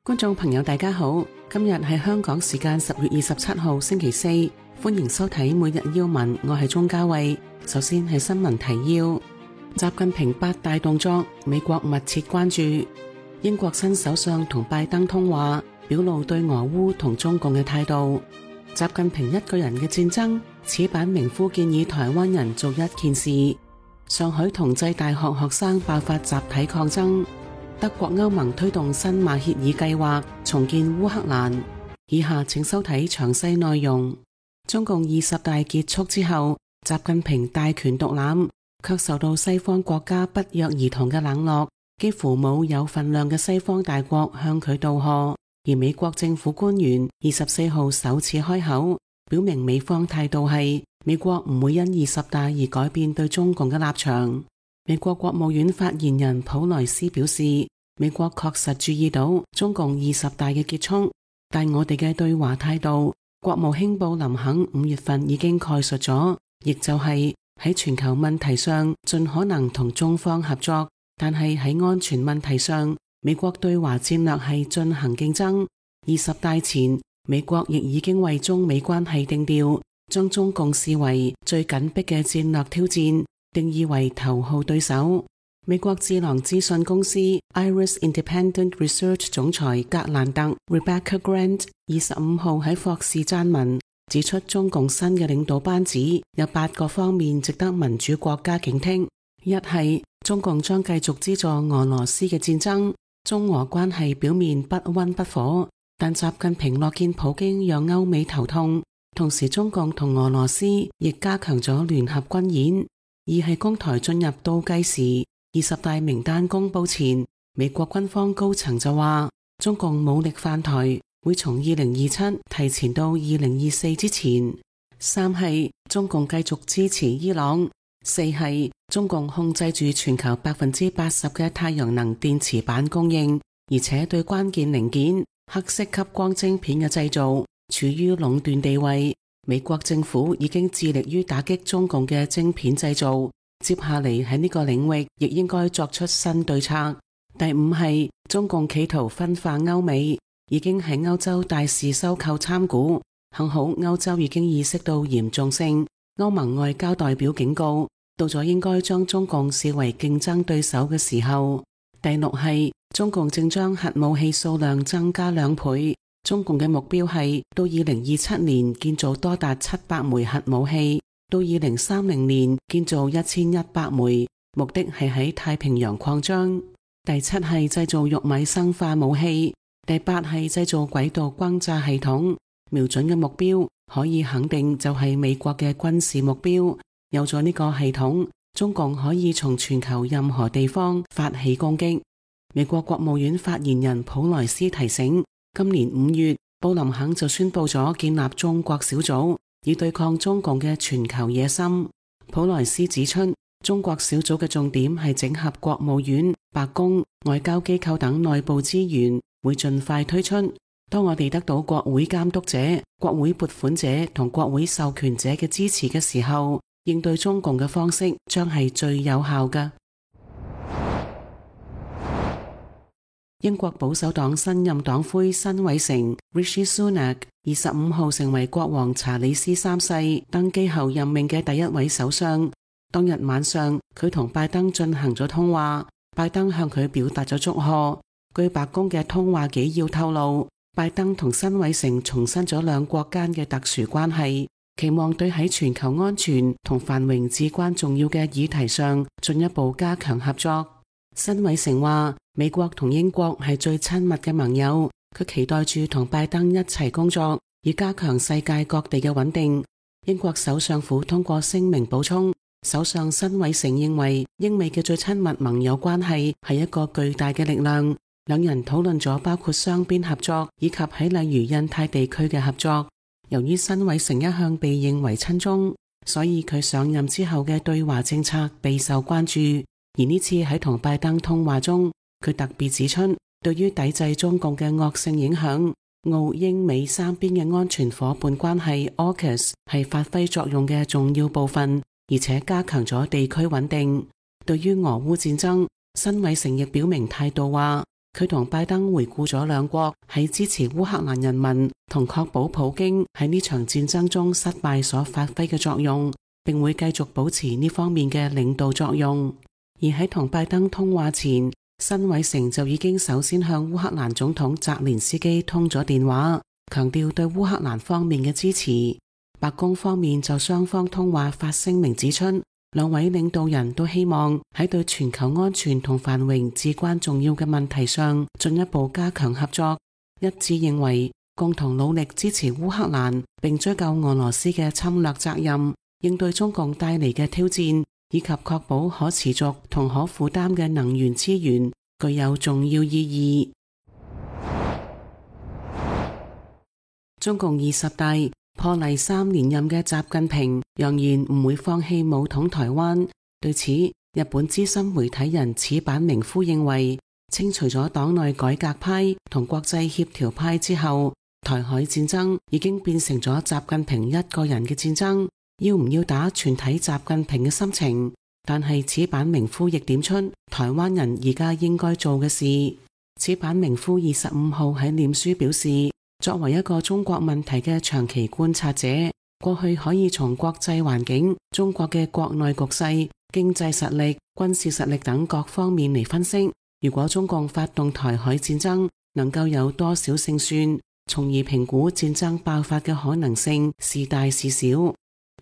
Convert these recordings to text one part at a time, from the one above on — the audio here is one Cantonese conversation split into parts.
觀眾朋友大家好，今日係香港時間10月27號星期四，歡迎收睇每日要聞，我係鍾嘉慧。首先係新聞提要：習近平8大動作，美國密切關注；英國新首相同拜登通話，表露對俄烏同中共嘅態度；習近平一個人嘅戰爭，此版名夫建議台灣人做一件事；上海同濟大學學生爆發集體抗爭；德國歐盟推動新馬歇爾計劃重建烏克蘭。以下請收睇詳細內容。中共20大結束之後，習近平大權獨攬，卻受到西方國家不約而同嘅冷落，幾乎冇有份量嘅西方大國向佢道賀。而美國政府官員24號首次開口，表明美方態度係美國唔會因20大而改變對中共嘅立場。美國國務院發言人普萊斯表示，美國確實注意到中共20大嘅結束，但我哋嘅對華態度，國務卿布林肯5月份已經概述咗，亦就係喺全球問題上盡可能同中方合作，但係喺安全問題上，美國對華戰略係進行競爭。20大前，美國亦已經為中美關係定調，將中共視為最緊迫嘅戰略挑戰，定義為頭號對手。美國智囊資訊公司 Iris Independent Research 總裁格蘭特 Rebecca Grant 25號喺霍士撰文，指出中共新嘅領導班子有8個方面值得民主國家警惕。一係中共將繼續資助俄羅斯嘅戰爭，中俄關係表面不溫不火，但習近平樂見普京讓歐美頭痛，同時中共同俄羅斯亦加強咗聯合軍演。二係攻台進入倒計時，20大名單公布前，美國軍方高層就話中共武力犯台會從2027提前到2024之前。三係中共繼續支持伊朗。四係中共控制住全球80%嘅太陽能電池板供應，而且對關鍵零件黑色吸光晶片嘅製造處於壟斷地位。美國政府已經致力於打擊中共嘅晶片製造，接下嚟喺呢個領域亦應該作出新對策。第五係中共企圖分化歐美，已經喺歐洲大肆收購參股，幸好歐洲已經意識到嚴重性。歐盟外交代表警告，到咗應該將中共視為競爭對手嘅時候。第六係中共正將核武器數量增加2倍，中共嘅目標係到2027年建造多達700枚核武器，到2030年建造1100枚，目的係喺太平洋擴張。第七係製造玉米生化武器。第八係製造軌道轟炸系統，瞄準嘅目標可以肯定就係美國嘅軍事目標。有咗呢個系統，中共可以從全球任何地方發起攻擊。美國國務院發言人普萊斯提醒，今年5月，布林肯就宣布咗建立中國小組，以對抗中共嘅全球野心。普萊斯指出，中國小組嘅重點係整合國務院、白宮、外交機構等內部資源，會盡快推出。當我哋得到國會監督者、國會撥款者同國會授權者嘅支持嘅時候，應對中共嘅方式將係最有效嘅。英國保守黨新任黨魁辛偉誠 Rishi Sunak 25號成為國王查理斯3世登基後任命嘅第一位首相。當日晚上，佢同拜登進行咗通話，拜登向佢表達咗祝賀。據白宮嘅通話紀要透露，拜登同辛偉誠重申咗兩國間嘅特殊關係，期望對喺全球安全同繁榮至關重要嘅議題上進一步加強合作。辛偉誠話，美國同英國係最親密嘅盟友，佢期待住同拜登一齊工作，以加強世界各地嘅穩定。英國首相府通過聲明補充，首相辛偉誠認為英美嘅最親密盟友關係係一個巨大嘅力量。兩人討論咗包括雙邊合作以及喺例如印太地區嘅合作。由於辛偉誠一向被認為親中，所以佢上任之後嘅對華政策備受關注。而呢次喺同拜登通話中，佢特別指出，對於抵制中共嘅惡性影響，澳英美三邊嘅安全夥伴關係 AUKUS 係發揮作用嘅重要部分，而且加強咗地區穩定。對於俄烏戰爭，辛偉誠亦表明態度話，佢同拜登回顧咗兩國喺支持烏克蘭人民同確保普京喺呢場戰爭中失敗所發揮嘅作用，並會繼續保持呢方面嘅領導作用。而喺同拜登通話前，辛偉誠就已經首先向烏克蘭總統澤連斯基通咗電話，強調對烏克蘭方面嘅支持。白宮方面就雙方通話發聲明指出，兩位領導人都希望喺對全球安全同繁榮至關重要嘅問題上進一步加強合作，一致認為共同努力支持烏克蘭，並追究俄羅斯嘅侵略責任，應對中共帶嚟嘅挑戰，以及確保可持續同可負擔嘅能源資源，具有重要意義。中共20大破例3連任嘅習近平揚言唔會放棄武統台灣。對此，日本資深媒體人矢板明夫認為，清除咗黨內改革派同國際協調派之後，台海戰爭已經變成咗習近平一個人嘅戰爭，要唔要打全體習近平嘅心情。但係矢板明夫亦點出台灣人而家應該做嘅事。矢板明夫25號喺臉書表示，作為一個中國問題嘅長期觀察者，過去可以從國際環境、中國嘅國內局勢、經濟實力、軍事實力等各方面嚟分析，如果中共發動台海戰爭，能夠有多少勝算，從而評估戰爭爆發嘅可能性是大是小。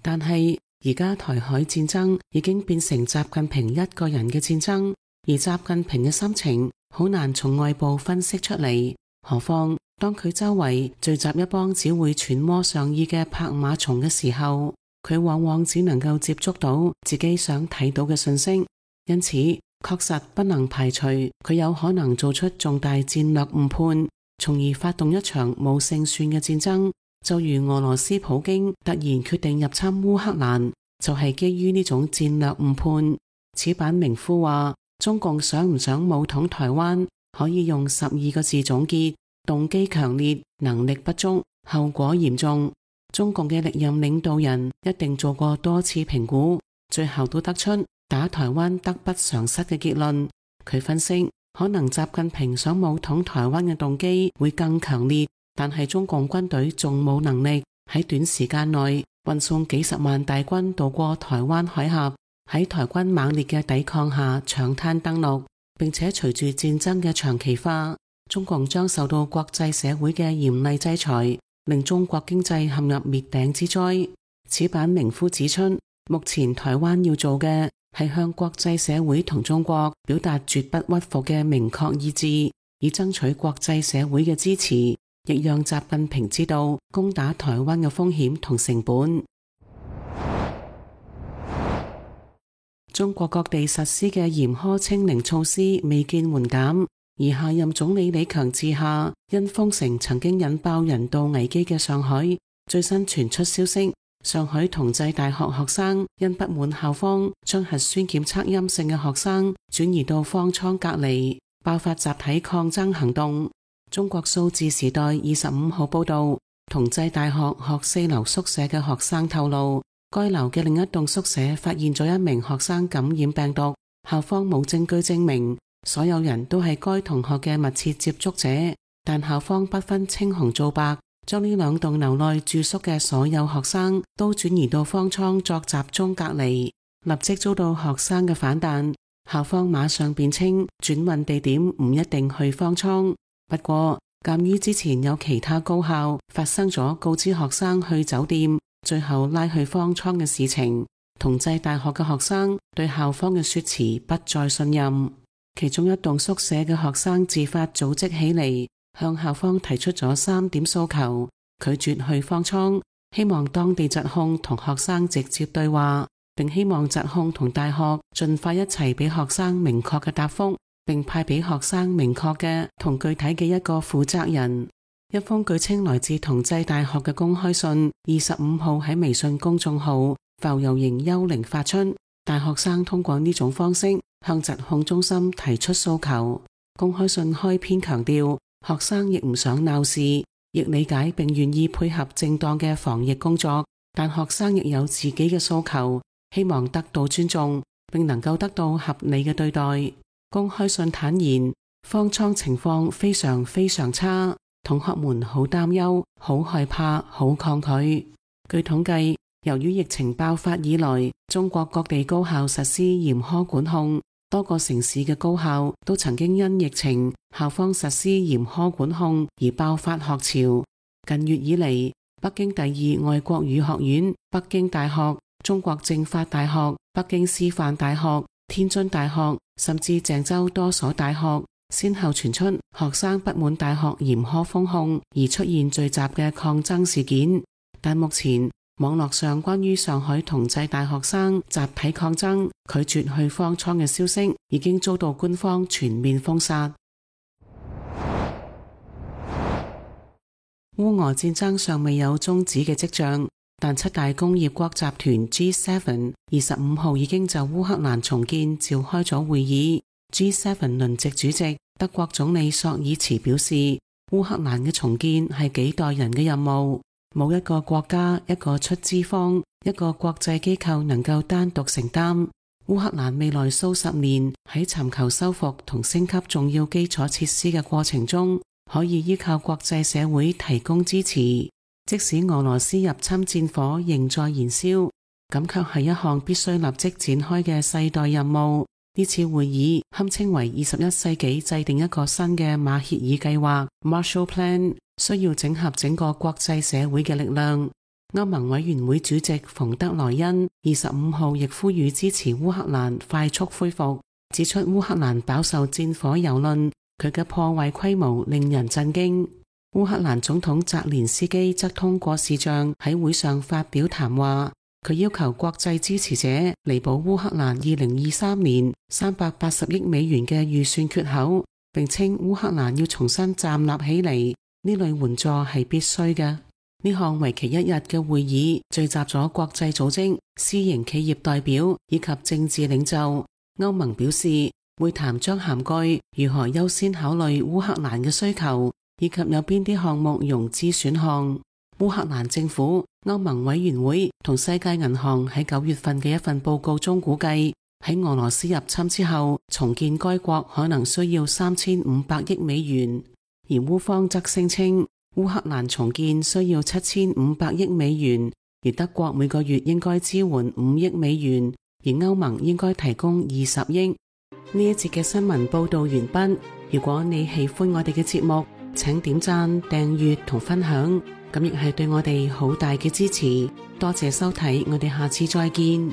但係而家台海戰爭已經變成習近平一個人嘅戰爭，而習近平嘅心情好難從外部分析出嚟，何況當佢周圍聚集一幫只會揣摩上意嘅拍馬蟲嘅時候，佢往往只能夠接觸到自己想睇到嘅信息，因此確實不能排除佢有可能做出重大戰略誤判，從而發動一場冇勝算嘅戰爭。就如俄羅斯普京突然決定入侵烏克蘭，就係基於呢種戰略誤判。矢板明夫話，中共想唔想武統台灣，可以用12個字總結：動機強烈，能力不足，後果嚴重。中共嘅歷任領導人一定做過多次評估，最後都得出打台灣得不償失嘅結論。佢分析，可能習近平想武統台灣嘅動機會更強烈，但係中共軍隊仲冇能力喺短時間內運送幾十萬大軍渡過台灣海峽，喺台軍猛烈嘅抵抗下搶灘登陸，並且隨住戰爭嘅長期化，中共將受到國際社會嘅嚴厲制裁，令中國經濟陷入滅頂之災。矢板明夫指出，目前台灣要做嘅係向國際社會同中國表達絕不屈服嘅明確意志，以爭取國際社會嘅支持，亦讓習近平知道攻打台灣嘅風險同成本。中國各地實施嘅嚴苛清零措施未見緩減，而下任總理李強治下，因封城曾經引爆人道危機嘅上海，最新傳出消息，上海同濟大學學生因不滿校方將核酸檢測陰性嘅學生轉移到方艙隔離，爆發集體抗爭行動。中國數字時代25號報道，同濟大學學4樓宿舍嘅學生透露，該樓嘅另一棟宿舍發現咗一名學生感染病毒，校方冇證據證明所有人都係該同學嘅密切接觸者，但校方不分青紅皂白，將呢兩棟樓內住宿嘅所有學生都轉移到方艙作集中隔離，立即遭到學生嘅反彈。校方馬上辯稱轉運地點唔一定去方艙，不過鑒於之前有其他高校發生咗告知學生去酒店，最後拉去方艙嘅事情，同濟大學嘅學生對校方嘅說辭不再信任。其中一棟宿舍嘅學生自發組織起嚟，向校方提出咗3點訴求：拒絕去方艙，希望當地疾控同學生直接對話，並希望疾控同大學盡快一齊俾學生明確嘅答覆，並派俾學生明確嘅同具體嘅一個負責人。一封據稱來自同濟大學嘅公開信25號喺微信公眾號浮游型幽靈發出，大學生通過呢種方式向疾控中心提出訴求。公開信開篇強調，學生亦唔想鬧事，亦理解並願意配合正當嘅防疫工作，但學生亦有自己嘅訴求，希望得到尊重，並能夠得到合理嘅對待。公開信坦言，方艙情況非常非常差，同學們好擔憂、好害怕、好抗拒。據統計，由於疫情爆發以來，中國各地高校實施嚴苛管控，多個城市嘅高校都曾經因疫情校方實施嚴苛管控而爆發學潮。近月以嚟，北京第二外國語學院、北京大學、中國政法大學、北京師範大學、天津大學，甚至鄭州多所大學，先後傳出學生不滿大學嚴苛封控而出現聚集嘅抗爭事件。但目前網絡上關於上海同濟大學生集體抗爭拒絕去方艙嘅消息，已經遭到官方全面封殺。烏俄戰爭尚未有終止嘅跡象，但七大工業國集團 G7 25號已經就烏克蘭重建召開咗會議。G7 輪值主席德國總理朔爾茨表示，烏克蘭嘅重建係幾代人嘅任務，冇一個國家、一個出資方、一個國際機構能夠單獨承擔。烏克蘭未來數十年喺尋求修復同升級重要基礎設施嘅過程中，可以依靠國際社會提供支持，即使俄羅斯入侵戰火仍在燃燒，咁卻係一項必須立即展開嘅世代任務。呢次會議堪稱為21世紀制定一個新嘅馬歇爾計劃 Marshall Plan， 需要整合整個國際社會嘅力量。歐盟委員會主席馮德萊恩25號亦呼籲支持烏克蘭快速恢復，指出烏克蘭飽受戰火蹂躪，佢嘅破壞規模令人震驚。烏克蘭總統澤連斯基則通過視像喺會上發表談話，佢要求國際支持者彌補烏克蘭2023年380億美元嘅預算缺口，並稱烏克蘭要重新站立起嚟，呢類援助係必須嘅。呢項為期1日嘅會議聚集咗國際組織、私營企業代表以及政治領袖。歐盟表示，會談將涵蓋如何優先考慮烏克蘭嘅需求，以及有邊啲項目融資選項。烏克蘭政府、歐盟委員會同世界銀行喺9月份嘅一份報告中估計，喺俄羅斯入侵之後，重建該國可能需要3500億美元，而烏方則聲稱烏克蘭重建需要7500億美元，而德國每個月應該支援5億美元，而歐盟應該提供20億。呢一節嘅新聞報道完畢。如果你喜歡我哋嘅節目，請點讚、訂閱同分享，咁亦係對我哋好大嘅支持。多謝收睇，我哋下次再見。